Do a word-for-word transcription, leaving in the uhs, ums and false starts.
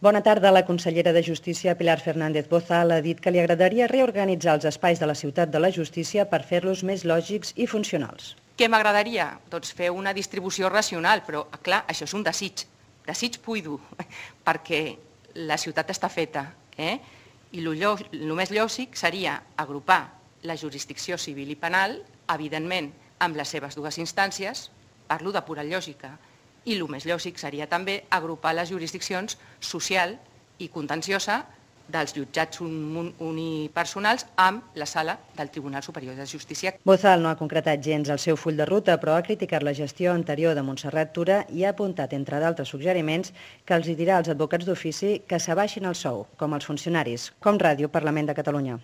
Bona tarda. La consellera de Justícia, Pilar Fernández Bozal, ha dit que li agradaria reorganitzar els espais de la ciutat de la justícia per fer-los més lògics i funcionals. Què m'agradaria? Doncs fer una distribució racional, però clar, això és un desig, desig buido, perquè la ciutat està feta, eh? I el més lògic seria agrupar la jurisdicció civil i penal, evidentment, amb les seves dues instàncies, parlo de pura lògica, i el més lògic seria també agrupar les jurisdiccions social i contenciosa dels jutjats unipersonals amb la sala del Tribunal Superior de Justícia. Bozal no ha concretat gens el seu full de ruta, però ha criticat la gestió anterior de Montserrat Tura i ha apuntat, entre d'altres suggeriments, que els dirà als advocats d'ofici que s'abaixin el sou, com els funcionaris, com Ràdio Parlament de Catalunya.